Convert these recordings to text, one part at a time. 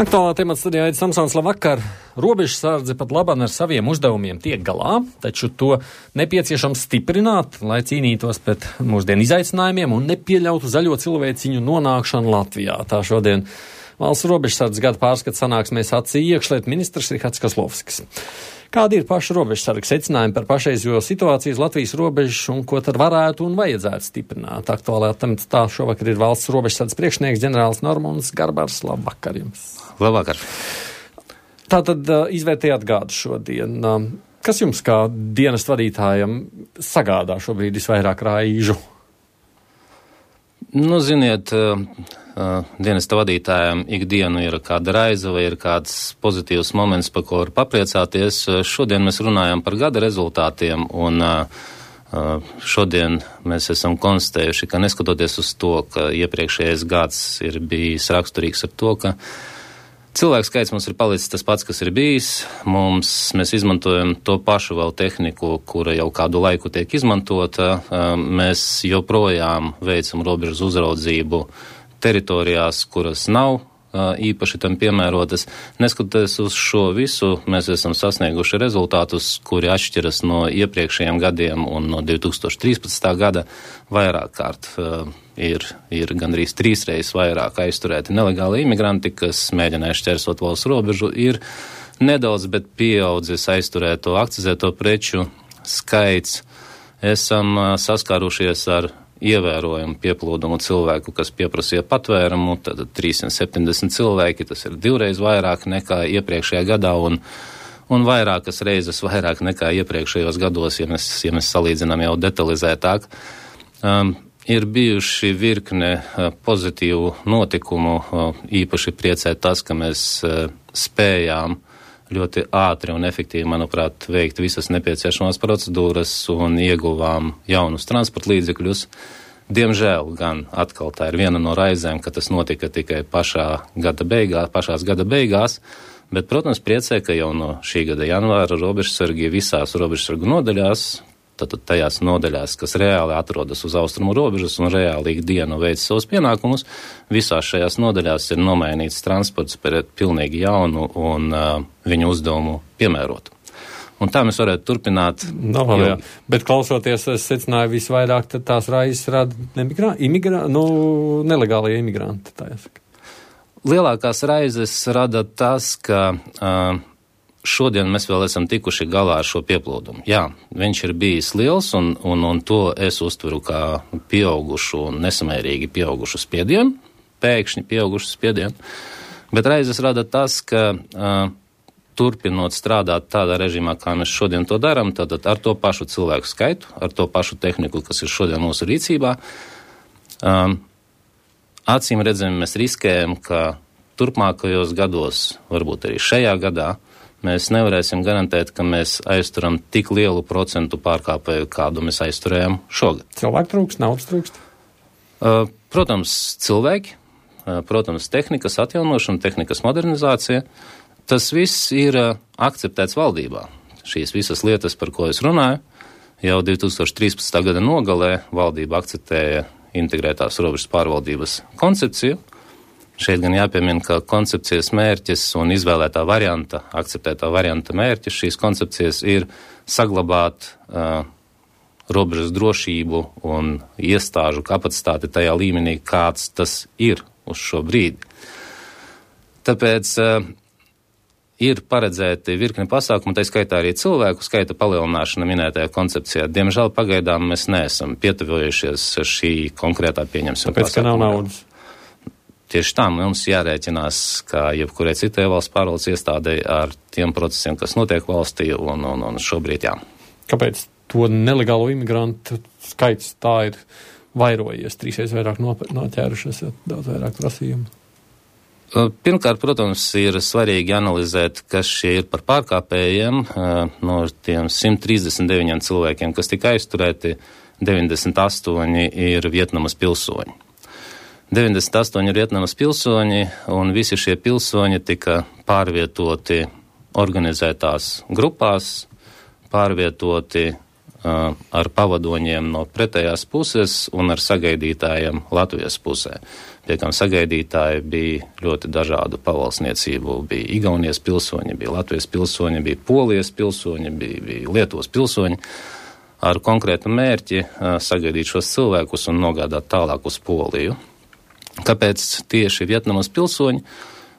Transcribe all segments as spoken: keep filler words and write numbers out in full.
Aktuālā temata studijā Aidis Samsons, labvakar. Robežsardze pat labāk ar saviem uzdevumiem tiek galā, taču to nepieciešams stiprināt, lai cīnītos pret mūsdienu izaicinājumiem un nepieļautu zaļo cilvēciņu nonākšanu Latvijā. Tā šodien valsts robežsardzes gada pārskats sanāksmē sacīja iekšlietu ministrs Rihards Kozlovskis. Kādi ir pašu robežsargu secinājumi par pašreizējo situāciju uz Latvijas robežas un ko tad varētu un vajadzētu stiprināt? Aktuālajā tematā šovakar ir valsts robežsardzes priekšnieks ģenerālis Normons Garbars. Labvakar jums! Labvakar! Tātad izvērtējāt gadu šodien. Kas jums kā dienestu vadītājam sagādā šobrīd visvairāk raižu? Nu, ziniet, dienesta vadītājiem ikdienu ir kāda raize vai ir kāds pozitīvs moments, par ko var papriecāties. Šodien mēs runājam par gada rezultātiem un šodien mēs esam konstatējuši, ka neskatoties uz to, ka iepriekšējais gads ir bijis raksturīgs ar to, ka cilvēku skaits mums ir palicis tas pats, kas ir bijis. Mums, mēs izmantojam to pašu vēl tehniku, kura jau kādu laiku tiek izmantota. Mēs joprojām veicam robežas uzraudzību teritorijās, kuras nav īpaši tam piemērotas. Neskatoties uz šo visu, mēs esam sasnieguši rezultātus, kuri atšķiras no iepriekšējiem gadiem un no divi tūkstoši trīspadsmitā gada vairāk kārt. Ir, ir gandrīz trīs reizes vairāk aizturēti nelegāli imigranti, kas mēģināja šķērsot valsts robežu. Ir nedaudz, bet pieaudzis aizturēto akcizēto preču skaits. Esam saskārušies ar ievērojumu pieplūdumu cilvēku, kas pieprasīja patvērumu, tad trīssimt septiņdesmit cilvēki, tas ir divreiz vairāk nekā iepriekšējā gadā un, un vairākas reizes vairāk nekā iepriekšējos gados, ja mēs, ja mēs salīdzinām jau detalizētāk. Um, ir bijuši virkne uh, pozitīvu notikumu, uh, īpaši priecē tas, ka mēs uh, spējām ļoti ātri un efektīvi, manuprāt, veikt visas nepieciešamās procedūras un ieguvām jaunus transporta līdzekļus. Diemžēl gan atkal tā ir viena no raizēm, ka tas notika tikai pašā gada beigās, pašās gada beigās, bet, protams, priecē, ka jau no šī gada janvāra robežsargi visās robežsargu nodaļās, tātad tajās nodaļās, kas reāli atrodas uz austrumu robežas un reāli ikdienu veic savus pienākumus, visās šajās nodaļās ir nomainīts transports pret pilnīgi jaunu un uh, viņu uzdevumu piemērotu. Un tā mēs varētu turpināt. No, jo... jā. Bet klausoties, es secināju visvairāk, tad tās raizes rada nemigrā... imigrā... nu, nelegālie imigranti, tā jāsaka. Lielākās raizes rada tas, ka uh, šodien mēs vēl esam tikuši galā ar šo pieplūdumu. Jā, viņš ir bijis liels, un, un, un to es uztveru kā pieaugušu un nesamērīgi pieaugušu spiedienu, pēkšņi pieaugušu spiedienu, bet raizes rada tas, ka uh, turpinot strādāt tādā režīmā, kā mēs šodien to darām, tad ar to pašu cilvēku skaitu, ar to pašu tehniku, kas ir šodien mūsu rīcībā, um, acīm redzam, mēs riskējam, ka turpmākajos gados, varbūt arī šajā gadā, mēs nevarēsim garantēt, ka mēs aizturam tik lielu procentu pārkāpēju, kādu mēs aizturējam šogad. Cilvēku trūkst, naudas trūkst? Uh, protams, cilvēki, uh, protams, tehnikas atjaunošana, tehnikas modernizācija. Tas viss ir uh, akceptēts valdībā. Šīs visas lietas, par ko es runāju, jau divi tūkstoši trīspadsmitā gada nogalē valdība akceptēja integrētās robežas pārvaldības koncepciju. Šeit gan jāpiemina, ka koncepcijas mērķis un izvēlētā varianta, akceptētā varianta mērķis šīs koncepcijas ir saglabāt uh, robežas drošību un iestāžu kapacitāti tajā līmenī, kāds tas ir uz šo brīdi. Tāpēc uh, ir paredzēti virkni pasākumu, tā skaitā arī cilvēku skaita palielināšana minētajā koncepcijā. Diemžēl pagaidām mēs neesam pietuvojušies šī konkrētā pieņemsim pasākumu. Tāpēc, ka nav naudas. Tieši tā mums jārēķinās, kā jebkurai citai valsts pārvaldes iestādei ar tiem procesiem, kas notiek valstī, un, un, un šobrīd jā. Kāpēc to nelegālo imigrantu skaits tā ir vairojies, trīsreiz vairāk noķērušies, daudz vairāk prasījumu? Pirmkārt, protams, ir svarīgi analizēt, kas šie ir par pārkāpējiem. No tiem simt trīsdesmit deviņiem cilvēkiem, kas tika aizturēti, deviņdesmit astoņi ir Vietnamas pilsoņi. deviņdesmit astoņi ir Vietnamas pilsoņi, un visi šie pilsoņi tika pārvietoti organizētās grupās, pārvietoti ar pavadoņiem no pretējās puses un ar sagaidītājiem Latvijas pusē. Pie kam sagaidītāji bija ļoti dažādu pavalsniecību. Bija Igaunijas pilsoņi, bija Latvijas pilsoņi, bija Polijas pilsoņi, bija, bija Lietuvas pilsoņi. Ar konkrētu mērķi sagaidīt šos cilvēkus un nogādāt tālāk uz Poliju. Kāpēc tieši Vietnamas pilsoņi?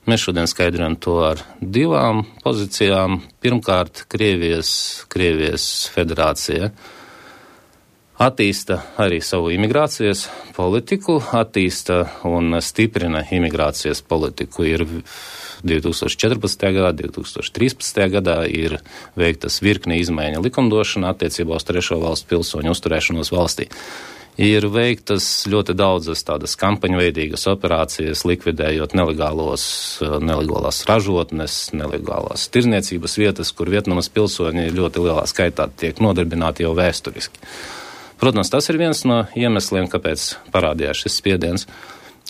Mēs šodien skaidrojam to ar divām pozīcijām. Pirmkārt, Krievijas, Krievijas federācija attīsta arī savu imigrācijas politiku, attīsta un stiprina imigrācijas politiku. Ir divi tūkstoši četrpadsmitajā gadā, divi tūkstoši trīspadsmitajā gadā ir veiktas virkne izmaiņa likumdošana attiecībā uz trešo valstu pilsoņu uzturēšanos valstī. Ir veiktas ļoti daudzas tādas kampaņveidīgas operācijas, likvidējot nelegālos, nelegālās ražotnes, nelegālās tirniecības vietas, kur Vietnamas pilsoņi ļoti lielā skaitā tiek nodarbināti jau vēsturiski. Protams, tas ir viens no iemesliem, kāpēc parādījās šis spiediens.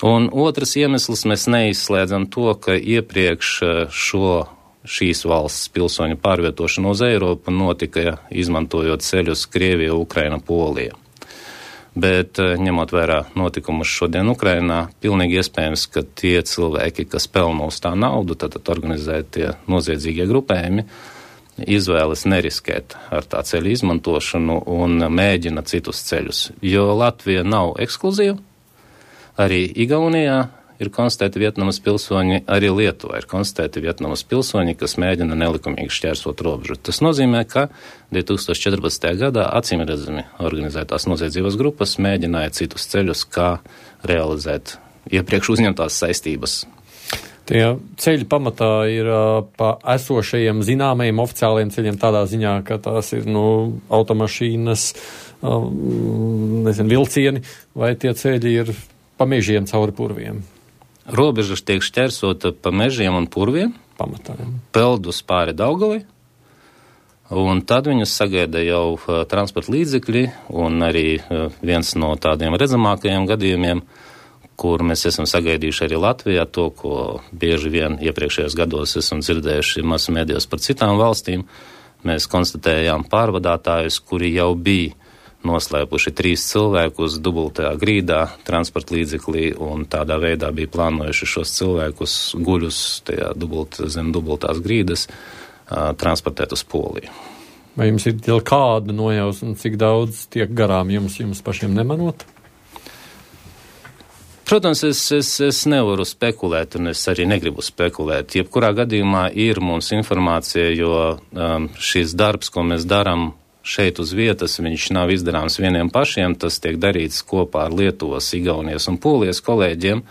Un otrs iemesls, mēs neizslēdzam to, ka iepriekš šo šīs valsts pilsoņu pārvietošanu uz Eiropu notika izmantojot ceļus Krievija, Ukraina, Polija. Bet ņemot vērā notikumus šodien Ukrainā, pilnīgi iespējams, ka tie cilvēki, kas pelna uz tā naudu, tad organizētie noziedzīgie grupējumi, izvēlas neriskēt ar tā ceļa izmantošanu un mēģina citus ceļus. Jo Latvija nav ekskluzīva, arī Igaunijā ir konstatēti Vietnamas pilsoņi, arī Lietuvā ir konstatēti Vietnamas pilsoņi, kas mēģina nelikumīgi šķērsot robežu. Tas nozīmē, ka divi tūkstoši četrpadsmitajā gadā acīmredzami organizētās noziedzības grupas mēģināja citus ceļus, kā realizēt iepriekš uzņemtās saistības. Tie ceļi pamatā ir uh, pa esošajiem zināmajiem oficiāliem ceļiem tādā ziņā, ka tās ir, nu, automašīnas, uh, nezinu, vilcieni, vai tie ceļi ir pa mežiem cauri purviem? Robeža tiek šķērsota pa mežiem un purviem. Pamatā. Peldus pāri Daugavai. Un tad viņus sagaida jau uh, transporta līdzekļi un arī uh, viens no tādiem redzamākajiem gadījumiem, kur mēs esam sagaidījuši arī Latvijā, to, ko bieži vien iepriekšējos gados esam dzirdējuši masu mēdījos par citām valstīm. Mēs konstatējām pārvadātājus, kuri jau bija noslēpuši trīs cilvēkus dubultajā grīdā transporta līdzeklī un tādā veidā bija plānojuši šos cilvēkus guļus tajā dubult, zem dubultās grīdas uh, transportēt uz Poliju. Vai jums ir jau kāda nojausma, cik daudz tiek garām jums, jums pašiem nemanot? Protams, es, es, es nevaru spekulēt, un es arī negribu spekulēt. Jebkurā gadījumā ir mums informācija, jo um, šis darbs, ko mēs darām šeit uz vietas, viņš nav izdarāms vieniem pašiem, tas tiek darīts kopā ar Lietuvas, Igaunijas un Polijas kolēģiem.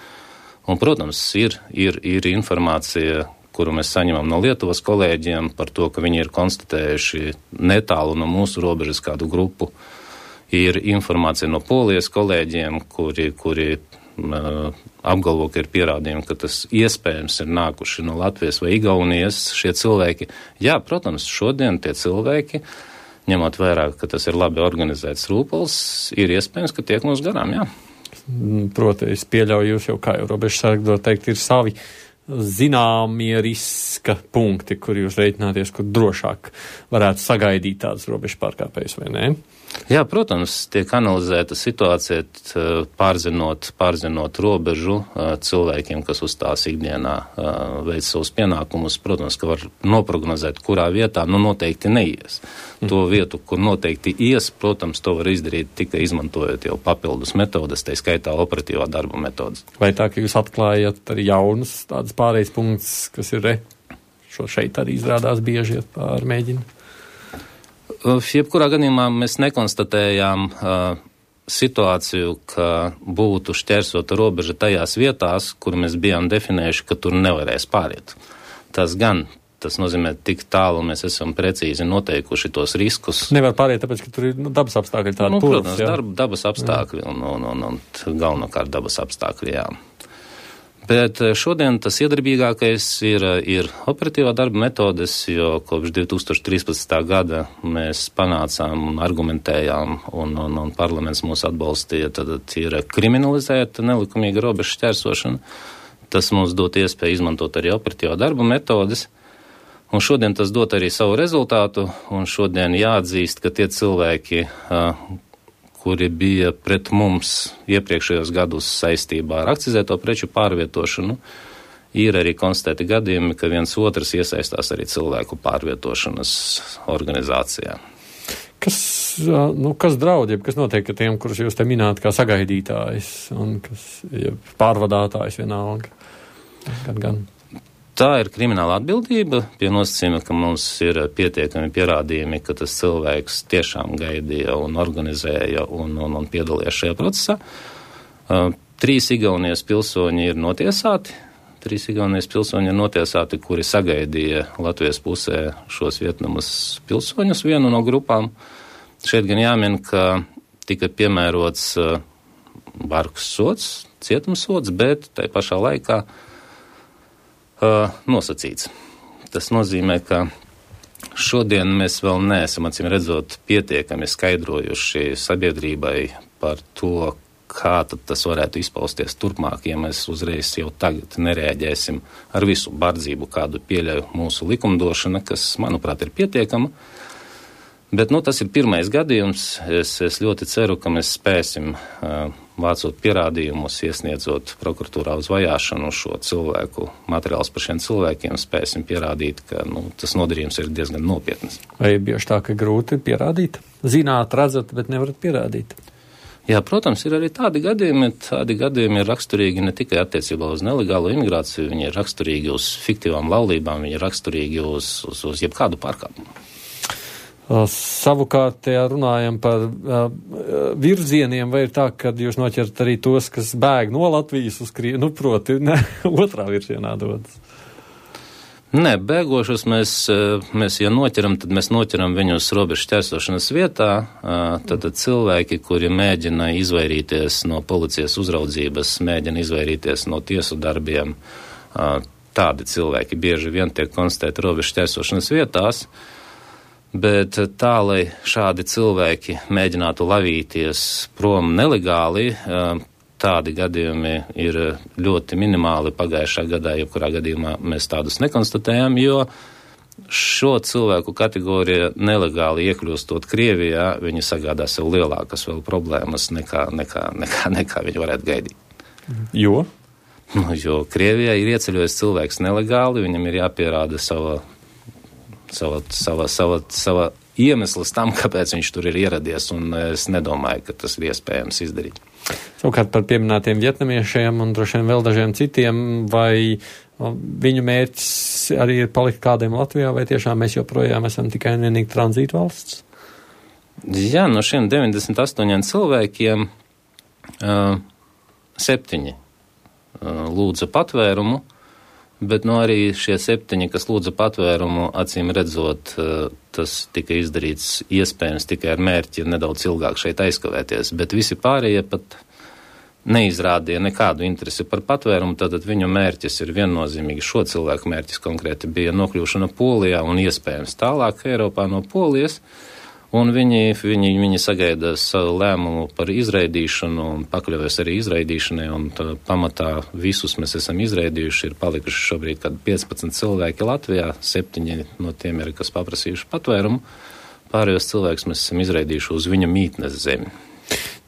Un, protams, ir, ir, ir informācija, kuru mēs saņemam no Lietuvas kolēģiem par to, ka viņi ir konstatējuši netālu no mūsu robežas kādu grupu. Ir informācija no Polijas kolēģiem, kuri, kuri apgalvo, ka ir pierādījumi, ka tas iespējams ir nākuši no Latvijas vai Igaunijas šie cilvēki. Jā, protams, šodien tie cilvēki, ņemot vērā, ka tas ir labi organizēts rūpals, ir iespējams, ka tiek mums garām, jā. Proti, es pieļauju, jūs jau kā jau robežsargi dot teikt, ir savi zināmie riska punkti, kur jūs reiķināties, kur drošāk varētu sagaidīt tādas robežu pārkāpējas, vai ne? Jā, protams, tiek analizēta situācija, pārzinot, pārzinot robežu cilvēkiem, kas uz tās ikdienā veic savus pienākumus. Protams, ka var noprognozēt, kurā vietā, nu noteikti neies. Mm. To vietu, kur noteikti ies, protams, to var izdarīt tikai izmantojot jau papildus metodas, tai skaitā operatīvā darba metodas. Vai tā, ka jūs atklājat arī jaunus tādas pārējais punkts, kas ir re, šo šeit arī izrādās bieži pārmēģina? Jebkurā gadījumā mēs nekonstatējām uh, situāciju, ka būtu šķērsota robeža tajās vietās, kur mēs bijām definējuši, ka tur nevarēs pāriet. Tas gan, tas nozīmē, tik tālu mēs esam precīzi noteikuši tos riskus. Nevar pāriet, tāpēc, ka tur ir nu, dabas apstākļi tādi. Nu, protams, darba, dabas apstākļi un, un, un, un galvenokārt dabas apstākļi, jā. Bet šodien tas iedarbīgākais ir, ir operatīvā darba metodes, jo kopš divi tūkstoši trīspadsmitā gada mēs panācām un argumentējām, un, un, un parlaments mūs atbalstīja, tad ir kriminalizēta nelikumīga robežu šķērsošana. Tas mums dot iespēju izmantot arī operatīvā darba metodes. Un šodien tas dot arī savu rezultātu, un šodien jāatzīst, ka tie cilvēki, kuri bija pret mums iepriekšējos gadus saistībā ar akcizēto preču pārvietošanu, ir arī konstatēti gadījumi, ka viens otrs iesaistās arī cilvēku pārvietošanas organizācijā. Kas, nu, kas draud, kas notiek ar tiem, kurus jūs te mināt kā sagaidītājs un kas pārvadātājs vienalga? Gan, gan. Tā ir krimināla atbildība pie nosacījuma, ka mums ir pietiekami pierādījumi, ka tas cilvēks tiešām gaidīja un organizēja un, un, un piedalījās šajā procesā. Uh, trīs Igaunijas pilsoņi ir notiesāti. Trīs Igaunijas pilsoņi ir notiesāti, kuri sagaidīja Latvijas pusē šos Vietnamas pilsoņus vienu no grupām. Šeit gan jāmin, ka tika piemērots uh, bargs sods, cietumsods, bet tai pašā laikā Uh, nosacīts. Tas nozīmē, ka šodien mēs vēl neesam, acīm redzot, pietiekami skaidrojuši sabiedrībai par to, kā tad tas varētu izpausties turpmāk, ja mēs uzreiz jau tagad nereaģēsim ar visu bardzību, kādu pieļauj mūsu likumdošana, kas, manuprāt, ir pietiekama. Bet, nu, tas ir pirmais gadījums. Es, es ļoti ceru, ka mēs spēsim uh, vācot pierādījumus, iesniedzot prokuratūrā uz vajāšanu šo cilvēku materiālus par šiem cilvēkiem, spēsim pierādīt, ka, nu, tas nodarījums ir diezgan nopietnas. Vai ir bieži tā, ka grūti pierādīt? Zināt, redzat, bet nevarat pierādīt? Jā, protams, ir arī tādi gadījumi. Tādi gadījumi ir raksturīgi ne tikai attiecībā uz nelegālo imigrāciju, viņi ir raksturīgi uz fiktīvām laulībām, viņi ir raksturīgi uz, uz, uz jebkādu pārkāpumu. Savukārt, ja runājam par uh, virzieniem, vai ir tā, ka jūs noķert arī tos, kas bēg no Latvijas uz Krievu, nu, proti, ne, otrā virzienā dodas? Nē, bēgošus mēs, mēs, ja noķeram, tad mēs noķeram viņus robežu šķērsošanas vietā. Tad cilvēki, kuri mēģina izvairīties no policijas uzraudzības, mēģina izvairīties no tiesu darbiem, tādi cilvēki bieži vien tiek konstatēti robežu šķērsošanas vietās. Bet tā, lai šādi cilvēki mēģinātu lavīties prom nelegāli, tādi gadījumi ir ļoti minimāli pagājušā gadā, jebkurā gadījumā mēs tādus nekonstatējam, jo šo cilvēku kategorija nelegāli iekļūstot Krievijā, viņi sagādā sev lielākas vēl problēmas nekā, nekā, nekā, nekā viņi varētu gaidīt. Jo? Nu, jo Krievijā ir ieceļojis cilvēks nelegāli, viņam ir jāpierāda sava Sava, sava, sava, sava iemesls tam, kāpēc viņš tur ir ieradies, un es nedomāju, ka tas ir iespējams izdarīt. Savukārt par pieminētiem vietnamiešiem un droši vien vēl dažiem citiem, vai viņu mērķis arī ir palikt kādiem Latvijā, vai tiešām mēs joprojām esam tikai un vienīgi tranzītu valsts? Jā, no šiem deviņdesmit astoņiem cilvēkiem uh, septiņi uh, lūdza patvērumu, bet no arī šie septiņi, kas lūdza patvērumu, acīm redzot, tas tika izdarīts iespējams tikai ar mērķi nedaudz ilgāk šeit aizkavēties, bet visi pārējie pat neizrādīja nekādu interesi par patvērumu, tātad viņu mērķis ir viennozīmīgi, šo cilvēku mērķis konkrēti bija nokļūšana Polijā un iespējams tālāk Eiropā no Polijas, un viņi, viņi, viņi sagaida savu lēmumu par izraidīšanu un pakļaujas arī izraidīšanai, un pamatā visus mēs esam izraidījuši, ir palikuši šobrīd kādi piecpadsmit cilvēki Latvijā, septiņi no tiem ir, kas paprasījuši patvērumu, pārējos cilvēkus mēs esam izraidījuši uz viņa mītnes zemi.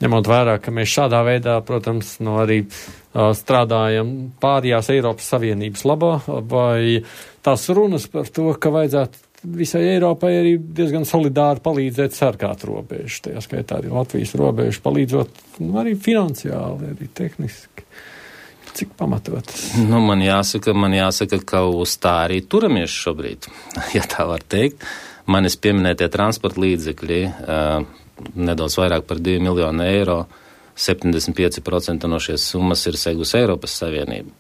Ņemot vērā, ka mēs šādā veidā, protams, no arī uh, strādājam pārējās Eiropas Savienības labā, vai tās runas par to, ka vajadzētu visai Eiropai arī diezgan solidāri palīdzēt sargāt robežu, tajā skaitā arī Latvijas robežu, palīdzot nu, arī finansiāli, arī tehniski. Cik pamatotas? Nu, man jāsaka, man jāsaka, ka uz tā arī turamies šobrīd, ja tā var teikt. Manis pieminētie transporta līdzekļi, uh, nedaudz vairāk par divi miljoni eiro, septiņdesmit pieci procenti no šies summas ir segus Eiropas Savienību.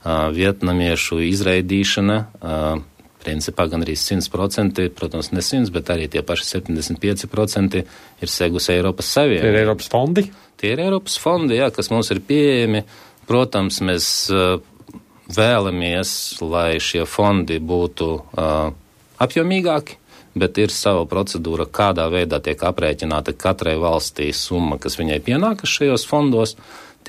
Uh, vietnamiešu izraidīšana, uh, principā gan arī simt procenti, protams, ne simts, bet arī tie paši septiņdesmit pieci procenti ir segus Eiropas Savienību. Tie ir Eiropas fondi? Tie ir Eiropas fondi, jā, kas mums ir pieejami. Protams, mēs uh, vēlamies, lai šie fondi būtu uh, apjomīgāki, bet ir sava procedūra, kādā veidā tiek aprēķināta katrai valstī summa, kas viņai pienākas šajos fondos.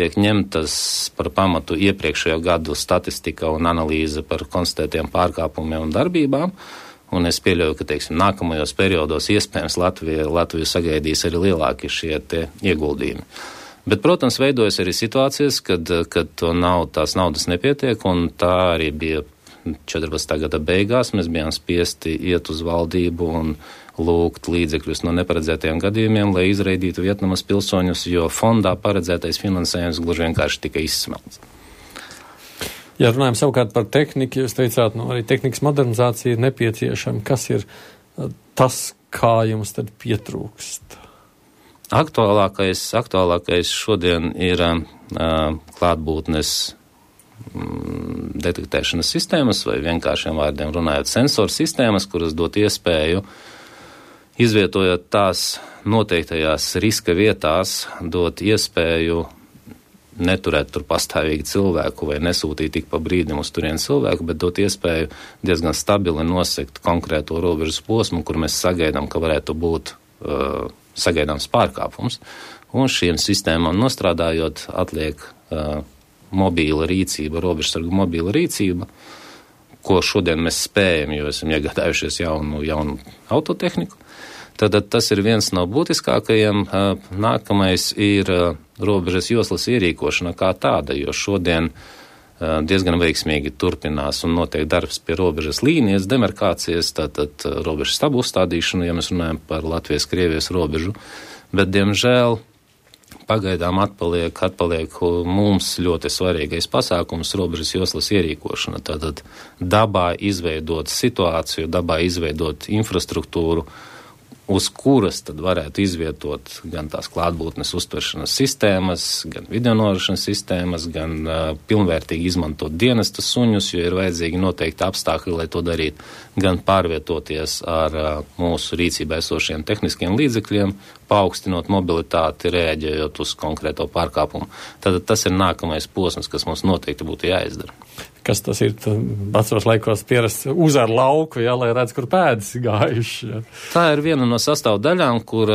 tiek ņemtas par pamatu iepriekšējo gadu statistika un analīze par konstatētiem pārkāpumiem un darbībām, un es pieļauju, ka, teiksim, nākamajos periodos iespējams Latvija, Latviju sagaidīs arī lielāki šie tie ieguldījumi. Bet, protams, veidojas arī situācijas, kad, kad to nav, tās naudas nepietiek, un tā arī bija četrpadsmitā gada beigās. Mēs bijām spiesti iet uz valdību un lūgt līdzekļus no neparedzētajiem gadījumiem, lai izraidītu Vietnamas pilsoņus, jo fondā paredzētais finansējums gluži vienkārši tika izsmelts. Ja runājam savukārt par tehniku, jūs teicāt, nu, arī tehnikas modernizācija ir nepieciešama. Kas ir tas, kā jums tad pietrūkst? Aktuālākais, aktuālākais šodien ir uh, klātbūtnes mm, detektēšanas sistēmas, vai vienkāršiem vārdiem runājot sensoru sistēmas, kuras dot iespēju, izvietojot tās noteiktajās riska vietās, dot iespēju neturēt tur pastāvīgi cilvēku vai nesūtīt tik pa brīdim uz turien cilvēku, bet dot iespēju diezgan stabili nosekt konkrēto robežas posmu, kur mēs sagaidām, ka varētu būt uh, sagaidāms pārkāpums. Un šiem sistēmām nostrādājot atliek uh, mobīla rīcība, robežsargu mobīla rīcība, ko šodien mēs spējam, jo esam iegādājušies jaunu, jaunu autotehniku. Tad tas ir viens no būtiskākajiem. Nākamais ir robežas joslas ierīkošana kā tāda, jo šodien diezgan veiksmīgi turpinās un notiek darbs pie robežas līnijas, demarkācijas, tātad robežas stabu uzstādīšanu, ja mēs runājam par Latvijas-Krievijas robežu. Bet, diemžēl, pagaidām atpaliek, atpaliek mums ļoti svarīgais pasākums robežas joslas ierīkošana. Tātad dabā izveidot situāciju, dabā izveidot infrastruktūru, uz kuras tad varētu izvietot gan tās klātbūtnes uztveršanas sistēmas, gan videonorašanas sistēmas, gan uh, pilnvērtīgi izmantot dienesta suņus, jo ir vajadzīgi noteikti apstākļi, lai to darītu, gan pārvietoties ar uh, mūsu rīcībā esošiem tehniskiem līdzekļiem, paaugstinot mobilitāti, reaģējot uz konkrēto pārkāpumu. Tad tas ir nākamais posms, kas mums noteikti būtu jāizdara. Kas tas ir? Vecos laikos pierasts uz ar lauku, jā, lai redz, kur pēdas gājuši. Jā. Tā ir viena no sastāvdaļām, kur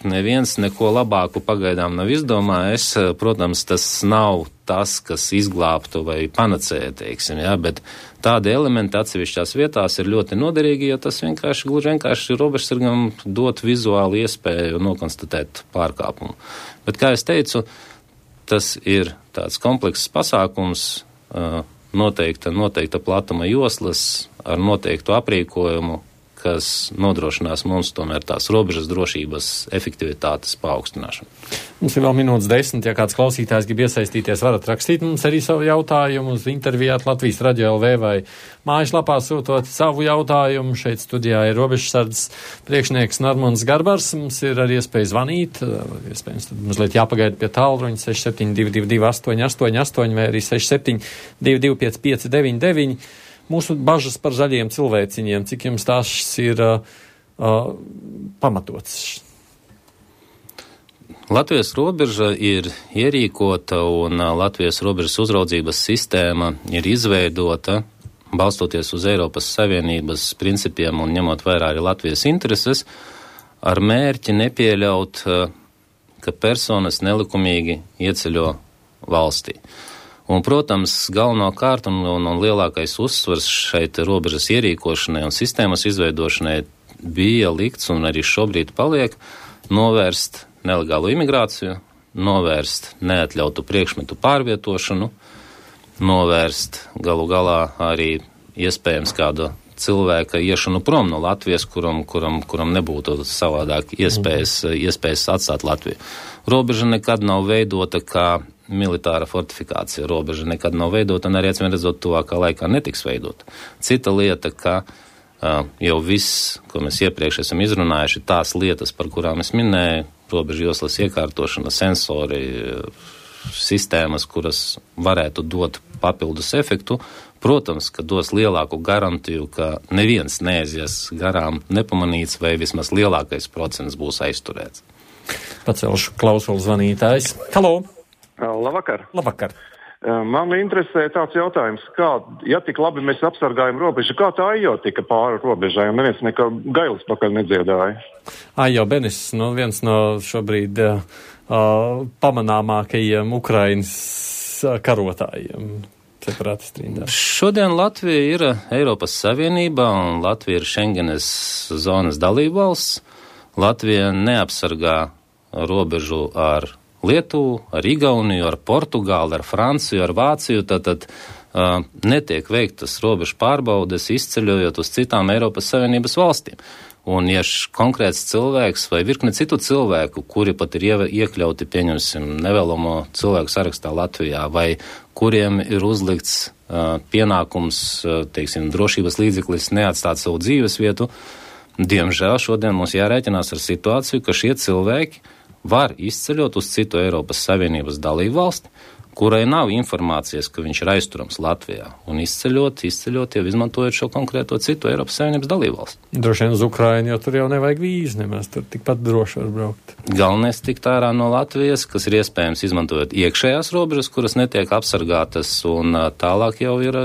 neviens neko labāku pagaidām nav izdomājis. Protams, tas nav tas, kas izglābtu vai panacēja, teiksim, jā, bet tādi elementi atsevišķās vietās ir ļoti noderīgi, jo tas vienkārši, gluži vienkārši robežsargam dot vizuāli iespēju nokonstatēt pārkāpumu. Bet, kā es teicu, tas ir tāds komplekss pasākums, noteikta, noteikta platuma joslas ar noteiktu aprīkojumu, kas nodrošinās mums tomēr tās robežas drošības efektivitātes paaugstināšanu. Mums ir vēl minūtes desmit, ja kāds klausītājs grib iesaistīties, varat rakstīt mums arī savu jautājumu uz intervijāt Latvijas Radio L V vai mājaslapā sūtot savu jautājumu. Šeit studijā ir robežsardzes priekšnieks Normons Garbars. Mums ir arī iespēja zvanīt, iespējams tad mazliet jāpagaida pie tālruņa seši septiņi divi divi divi astoņi astoņi astoņi vai arī seši septiņi divi divi pieci pieci deviņi deviņi. Mūsu bažas par zaļiem cilvēciņiem, cik jums tās ir uh, uh, pamatots? Latvijas robeža ir ierīkota un uh, Latvijas robežas uzraudzības sistēma ir izveidota, balstoties uz Eiropas Savienības principiem un ņemot vērā arī Latvijas intereses, ar mērķi nepieļaut, uh, ka personas nelikumīgi ieceļo valstī. Un, protams, galvenokārt un, un, un lielākais uzsvars šeit robežas ierīkošanai un sistēmas izveidošanai bija likts un arī šobrīd paliek novērst nelegālu imigrāciju, novērst neatļautu priekšmetu pārvietošanu, novērst galu galā arī iespējams kādu cilvēka iešanu prom no Latvijas, kuram, kuram, kuram nebūtu savādāk iespējas, iespējas atstāt Latviju. Robeža nekad nav veidota kā militāra fortifikācija. Robeža nekad nav veidota un arī, atcīm redzot, tuvākā laikā netiks veidota. Cita lieta, ka uh, jau viss, ko mēs iepriekš esam izrunājuši, tās lietas, par kurām es minēju, robežu joslas iekārtošana, sensori, sistēmas, kuras varētu dot papildus efektu, protams, ka dos lielāku garantiju, ka neviens neaizies garām nepamanīts vai vismaz lielākais procents būs aizturēts. Pacelšu klausulu zvanītājs. Halo! Labvakar. Labvakar. Man interesē tāds jautājums, kā, ja tik labi mēs apsargājam robežu, kā tā ajo tika pāri robežai, un neviens nekā gailis pakaļ nedziedāja? Ajo Benis, nu, viens no šobrīd uh, pamanāmākajiem Ukrainas karotājiem. Šodien Latvija ir Eiropas Savienībā un Latvija ir Schengenes zonas dalībvalsts. Latvija neapsargā robežu ar Lietuvu, ar Igauniju, ar Portugāli, ar Franciju, ar Vāciju, tātad uh, netiek veiktas robežu pārbaudes, izceļojot uz citām Eiropas Savienības valstīm. Un ja konkrēts cilvēks vai virkne citu cilvēku, kuri pat ir iekļauti, pieņemsim, nevēlamo cilvēku sarakstā Latvijā, vai kuriem ir uzlikts uh, pienākums, uh, teiksim, drošības līdzeklis neatstāt savu dzīves vietu, diemžēl šodien mums jārēķinās ar situāciju, ka šie cilvēki var izceļot uz citu Eiropas Savienības dalību valsti, kurai nav informācijas, ka viņš ir aizturams Latvijā, un izceļot, izceļot jau izmantojot šo konkrēto citu Eiropas Savienības dalībvalsti. Droši vien uz Ukrainu, jo tur jau nevajag vīzi, nemaz tur tikpat droši var braukt. Galvenais tikt ārā no Latvijas, kas ir iespējams izmantojot iekšējās robežas, kuras netiek apsargātas, un tālāk jau ir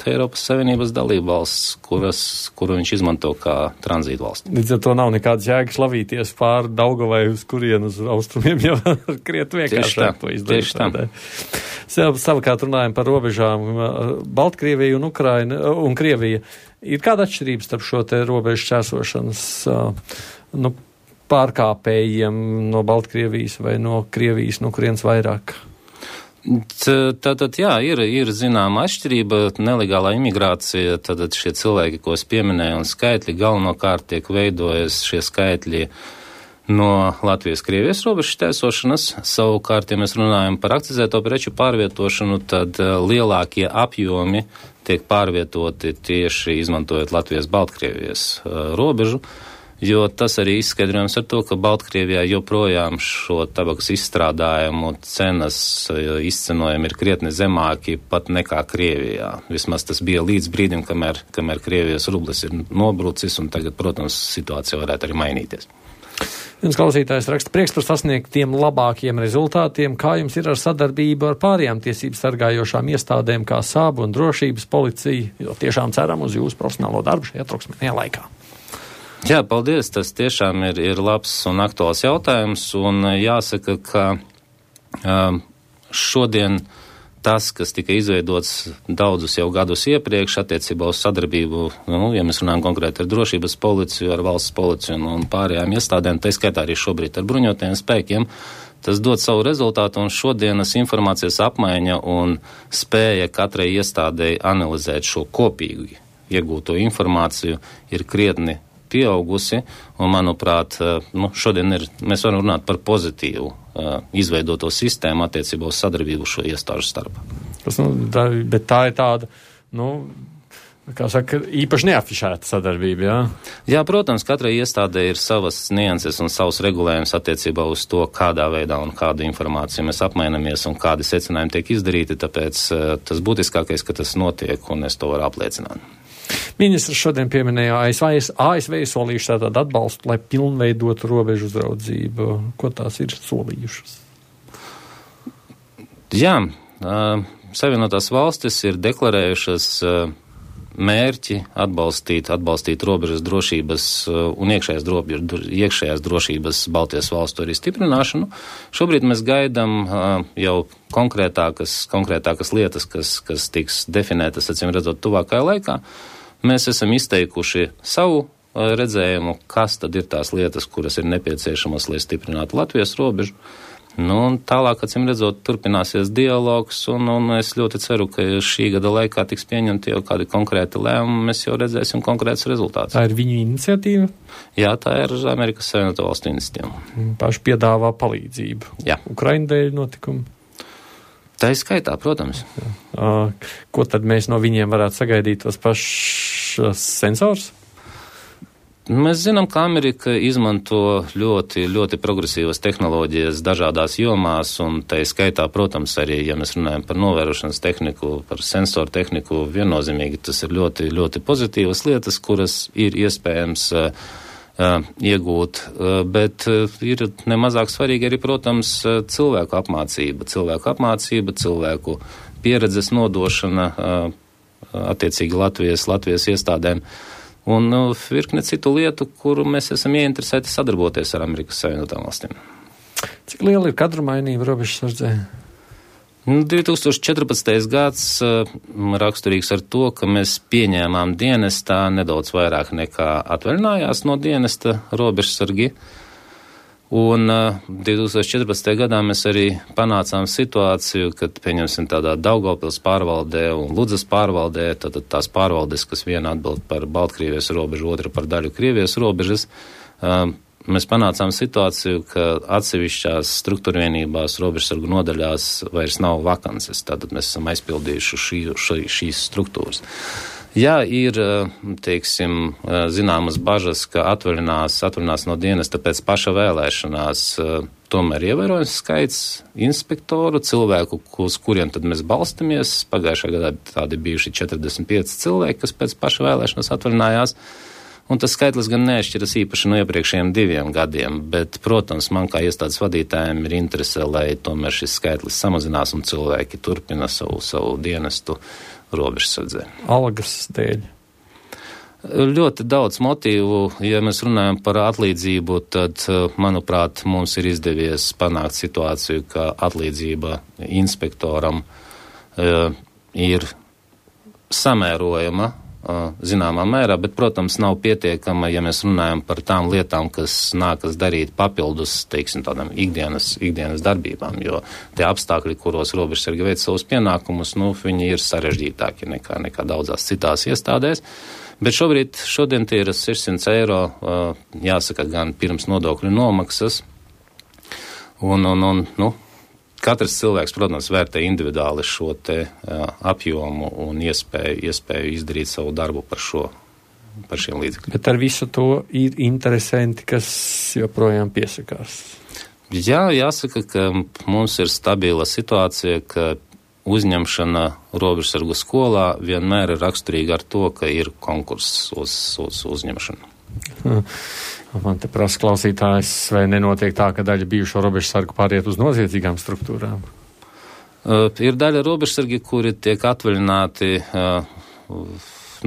Eiropas Savienības dalībvalsts, kuras, kuru viņš izmanto kā tranzītu valsts. Līdz ar to nav nekādas jēgas lavīties pāri Daugavai uz kurienu uz austrumiem, jo kriet vienkāršāk to izdarīt. Tieši tā. Savukārt runājam par robežām Baltkrievija un Ukraina un Krievija. Ir kāda atšķirība starp šo te robežu čērsošanas nu, pārkāpējiem no Baltkrievijas vai no Krievijas, no kurienes vairāk? Tātad, jā, ir, ir zināma atšķirība, nelegālā imigrācija, tātad šie cilvēki, ko es pieminēju, un skaitļi galvenokārt tiek veidojas šie skaitļi no Latvijas-Krievijas robežas šķērsošanas. Savukārt, ja mēs runājam par akcizēto preču pārvietošanu, tad lielākie apjomi tiek pārvietoti tieši izmantojot Latvijas-Baltkrievijas uh, robežu. Jo tas arī izskaidrojams ar to, ka Baltkrievijā joprojām šo tabakas izstrādājumu cenas izcenojumi ir krietni zemāki pat nekā Krievijā. Vismaz tas bija līdz brīdim, kamēr, kamēr Krievijas rublis ir nobrucis, un tagad, protams, situācija varētu arī mainīties. Viens klausītājs raksta prieks par sasniegtiem labākiem rezultātiem. Kā jums ir ar sadarbību ar pārējām tiesību sargājošām iestādēm, kā SAB un drošības policija? Jo tiešām ceram uz jūsu profesionālo darbu šajā troksmīgajā laikā. Jā, paldies, tas tiešām ir, ir labs un aktuāls jautājums, un jāsaka, ka um, šodien tas, kas tika izveidots daudzus jau gadus iepriekš attiecībā uz sadarbību, nu, ja mēs runājam konkrēti ar drošības policiju, ar valsts policiju un, un pārējām iestādēm, tā skaitā arī šobrīd ar bruņotajiem spēkiem, tas dod savu rezultātu, un šodienas informācijas apmaiņa un spēja katrai iestādēji analizēt šo kopīgi iegūto informāciju ir krietni pieaugusi, un, manuprāt, nu, šodien ir, mēs varam runāt par pozitīvu uh, izveidoto sistēmu attiecībā uz sadarbību šo iestāžu starpā. Tas, nu, tā, bet tā ir tāda, nu, kā saka, īpaši neafišēta sadarbība, jā? Jā, protams, katrai iestādē ir savas nianses un savs regulējums attiecībā uz to, kādā veidā un kādu informāciju mēs apmainamies un kādi secinājumi tiek izdarīti, tāpēc uh, tas būtiskākais, ka tas notiek, un es to varu apliecināt. Ministrs šodien pieminēja A S V, A S V solījuši tātad atbalstu, lai pilnveidotu robežu uzraudzību. Ko tās ir solījušas? Jā, uh, Savienotās valstis ir deklarējušas uh, mērķi atbalstīt, atbalstīt robežas drošības uh, un iekšējās, drobi, iekšējās drošības Baltijas valstu arī stiprināšanu. Šobrīd mēs gaidām uh, jau konkrētākas, konkrētākas lietas, kas, kas tiks definētas, acīm redzot, tuvākajā laikā. Mēs esam izteikuši savu uh, redzējumu, kas tad ir tās lietas, kuras ir nepieciešamas, lai stiprinātu Latvijas robežu. Nu, un tālāk, acīm redzot, turpināsies dialogs, un, un es ļoti ceru, ka šī gada laikā tiks pieņemti jau kādi konkrēti lēmumi, mēs jau redzēsim konkrētus rezultātus. Tā ir viņu iniciatīva? Jā, tā ir Amerikas Savienoto Valstu iniciatīva. Paši piedāvā palīdzību. Jā. Ukraina dēļ notikumu. Tā ir skaitā, protams. Uh, ko tad mēs no viņiem varētu sagaidīt, tos pašus sensors? Mēs zinām, ka Amerika izmanto ļoti, ļoti progresīvas tehnoloģijas dažādās jomās, un tā ir skaitā, protams, arī, ja mēs runājam par novērošanas tehniku, par sensoru tehniku, viennozīmīgi tas ir ļoti, ļoti pozitīvas lietas, kuras ir iespējams uh, Uh, iegūt, uh, bet uh, ir nemazāk svarīgi arī, protams, uh, cilvēku apmācība, cilvēku apmācība, cilvēku pieredzes nodošana attiecīgi Latvijas, Latvijas iestādēm un virkne citu lietu, kuru mēs esam ieinteresēti sadarboties ar Amerikas Savienotām valstīm. Cik liela ir kadrumainība robežsardzē? divi tūkstoši četrpadsmitais gads raksturīgs ar to, ka mēs pieņēmām dienestā nedaudz vairāk nekā atvaļinājās no dienesta robežsargi. Un divi tūkstoši četrpadsmitajā gadā mēs arī panācām situāciju, kad, pieņemsim, tādā Daugavpils pārvaldē un Ludzas pārvaldē, tad tās pārvaldes, kas viena atbild par Baltkrievijas robežu, otra par daļu Krievijas robežas, mēs panācām situāciju, ka atsevišķās struktūrvienībās, robežsargu nodaļās vairs nav vakances, tātad mēs esam aizpildījuši šī, šī, šīs struktūras. Jā, ir, teiksim, zināmas bažas, ka atvaļinās, atvaļinās no dienesta pēc paša vēlēšanās, tomēr ievērojams skaits inspektoru, cilvēku, uz kuriem tad mēs balstamies. Pagājušā gadā tādi bijuši četrdesmit pieci cilvēki, kas pēc paša vēlēšanās atvaļinājās. Un tas skaitlis gan neatšķiras īpaši no iepriekšējiem diviem gadiem, bet, protams, man kā iestādes vadītājiem ir interese, lai tomēr šis skaitlis samazinās un cilvēki turpina savu, savu dienestu robežsardzē. Algas dēļ. Ļoti daudz motīvu. Ja mēs runājam par atlīdzību, tad, manuprāt, mums ir izdevies panākt situāciju, ka atlīdzība inspektoram uh, ir samērojama zināmā mērā, bet, protams, nav pietiekama, ja mēs runājam par tām lietām, kas nākas darīt papildus, teiksim, tādām ikdienas, ikdienas darbībām, jo tie apstākļi, kuros robežsargi veic savus pienākumus, nu, viņi ir sarežģītāki nekā, nekā daudzās citās iestādēs. Bet šobrīd, šodien tie ir sešsimt eiro, jāsaka, gan pirms nodokļu nomaksas, un, un, un, nu, katrs cilvēks, protams, vērtē individuāli šo te uh, apjomu un iespēju, iespēju izdarīt savu darbu par šo, par šiem līdzekļiem. Bet ar visu to ir interesanti, kas joprojām piesakās. Jā, jāsaka, ka mums ir stabila situācija, ka uzņemšana robežsargu skolā vienmēr ir raksturīga ar to, ka ir konkurss uz, uz uzņemšanu. Hmm. Man te prasa klausītājs, vai nenotiek tā, ka daļa bijušo robežsargu pāriet uz noziedzīgām struktūrām? Uh, ir daļa robežsargi, kuri tiek atvaļināti uh,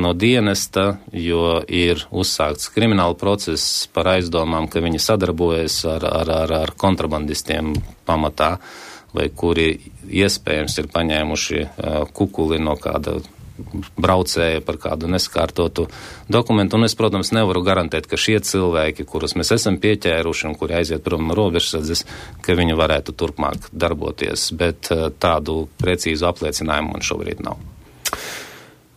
no dienesta, jo ir uzsākts krimināla process par aizdomām, ka viņi sadarbojas ar, ar, ar, ar kontrabandistiem pamatā, vai kuri iespējams ir paņēmuši uh, kukuli no kāda braucēja par kādu neskārtotu dokumentu, un es, protams, nevaru garantēt, ka šie cilvēki, kurus mēs esam pieķēruši un kuri aiziet prom no robežsardzes, ka viņi varētu turpmāk darboties, bet tādu precīzu apliecinājumu man šobrīd nav.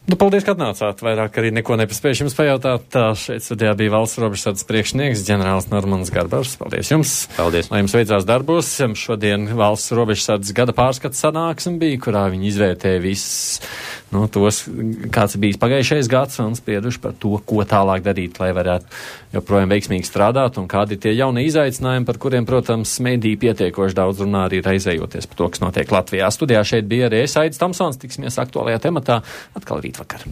Nu, paldies, ka atnācāt. Vairāk arī neko nepaspējuši jums pajautāt. Tā šeit studijā bija valsts robežsardzes priekšnieks ģenerālis Normans Garbars. Paldies jums. Paldies. Lai jums veicās darbos. Šodien valsts robežsardzes gada pārskats sanāksme bija, kurā viņi izvērtēja visus, nu, tos, kāds bijis pagājušais gads un sprieduši par to, ko tālāk darīt, lai varētu joprojām veiksmīgi strādāt un kādi ir tie jaunie izaicinājumi, par kuriem, protams, mediji pietiekoši daudz runā arī raizējoties par to, kas notiek Latvijā. Studijā šeit bija arī es, Aidis Tomsons, tiksimies aktuālajā tematā atkal rīt vakar.